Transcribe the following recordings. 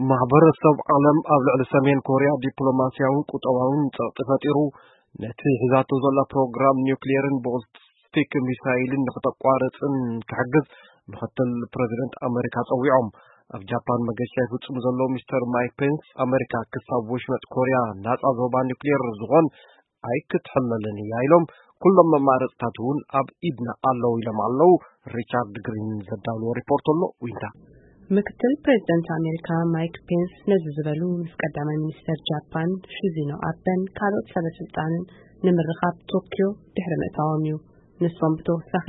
ማሕበረሰብ ዓለም ኣብ ልዕሊ ሰሜን ኮርያ ዲፕሎማስያውን ቁጠባውን ጸቕጢ ፈጢሩ፣ ነቲ ሒዛቶ ዘላ ፕሮግራም ኒውክሌርን ቦሊስቲክ ሚሳይልን ንክተቋርጽን ክሕግዝ ምክትል ፕረዚደንት ኣመሪካ ጸዊዖም። ኣብ ጃፓን መገሻ ይፍጽሙ ዘለዉ ሚስተር ማይክ ፔንስ፣ ኣመሪካ ክሳብ ወሽመጥ ኮርያ ናጻ ዞባ ኒውክሌር ዝኾን ኣይክትሕለልን እያ ኢሎም፣ ኩሎም መማረጽታት እውን ኣብ ኢድና ኣለዉ ኢሎም ኣለዉ። ሪቻርድ ግሪን ዘዳለዎ ሪፖርት ኣሎ። ዊንታ ምክትል ፕሬዚደንት ኣሜሪካ ማይክ ፔንስ ነዚ ዝበሉ ምስ ቀዳማይ ሚኒስተር ጃፓን ሺዚኖ ኣበን ካልኦት ሰበ ስልጣንን ንምርኻብ ቶኪዮ ድሕሪ ምእታዎም እዩ። ንሶም ብተወሳኺ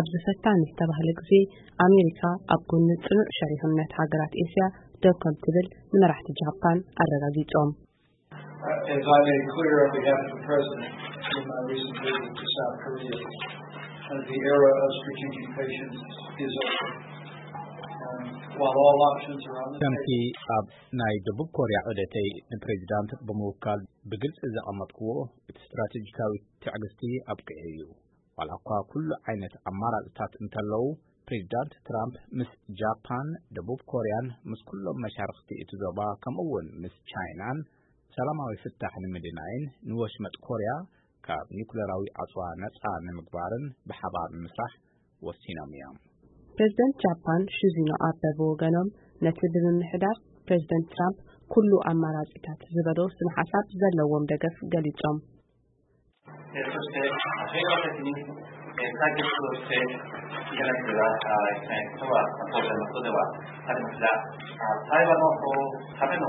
ኣብዚ ፈታኒ ዝተባህለ ግዜ ኣሜሪካ ኣብ ጎኒ ጽኑዕ ሸሪኽነት ሃገራት ኤስያ ደው ከም ትብል ንመራሕቲ ጃፓን ኣረጋጊጾም። As I made clear on behalf of the President in my recent visit to South Korea, uh, the era of strategic patience is over. And while all options are on the ከምቲ table, ኣብ ናይ ደቡብ ኮርያ ዑደተይ ንፕሬዚዳንት ብምውካል ብግልፂ ዘቐመጥክዎ፣ እቲ ስትራቴጂካዊ ትዕግስቲ ኣብቂዑ እዩ። ዋላ እኳ ኩሉ ዓይነት ኣማራፅታት እንተለዉ፣ ፕሬዚዳንት ትራምፕ ምስ ጃፓን፣ ደቡብ ኮርያን ምስ ኩሎም መሻርኽቲ እቲ ዞባ ከምኡ እውን ምስ ቻይናን ሰላማዊ ፍታሕ ንምድናይን ንወሽመጥ ኮርያ ካብ ኒኩለራዊ ኣጽዋ ነጻ ንምግባርን ብሓባር ንምስራሕ ወሲኖም እዮም። ፕሬዝደንት ጃፓን ሺዚኖ ኣበ ብወገኖም ነቲ ብምምሕዳር ፕሬዝደንት ትራምፕ ኩሉ ኣማራጺታት ዝበሎ ስነ ሓሳብ ዘለዎም ደገፍ ገሊጾም። えーそして、平和的に、えー解決をしていかなければいけないことは、当然のことではありますが、あ対話のための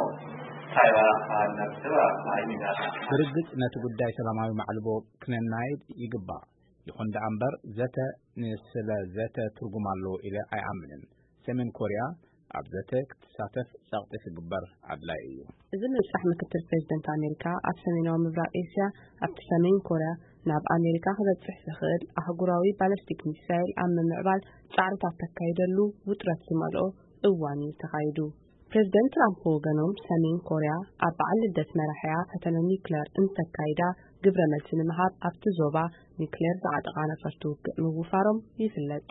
対話になっては、まあ、意味がありません。 ብርግጽ ነቲ ጉዳይ ሰላማዊ ማዕልቦ ክነናይድ ይግባእ። ይኹን ደኣ እምበር ዘተ ንስለ ዘተ ትርጉም ኣለዎ ኢለ ኣይኣምንን። ሰሜን ኮርያ ኣብ ዘተ ክትሳተፍ ጸቕጢ ክግበር ኣድላይ እዩ። እዚ ምብጻሕ ምክትል ፕሬዝደንት ኣሜሪካ ኣብ ሰሜናዊ ምብራቕ ኤስያ ኣብቲ ሰሜን ኮርያ ናብ ኣሜሪካ ክበጽሕ ዝኽእል ኣህጉራዊ ባለስቲክ ሚሳይል ኣብ ምምዕባል ጻዕርታት ተካይደሉ ውጥረት ዝመልኦ እዋን እዩ ተኻይዱ። ፕሬዝደንት ትራምፕ ብወገኖም ሰሜን ኮርያ ኣብ በዓል ልደት መራሒኣ ፈተነ ኒውክለር እንተካይዳ ግብረ መልሲ ንምሃብ ኣብቲ ዞባ ኒውክሌር ዝዓጠቓ ነፈርቲ ውግእ ምውፋሮም ይፍለጥ።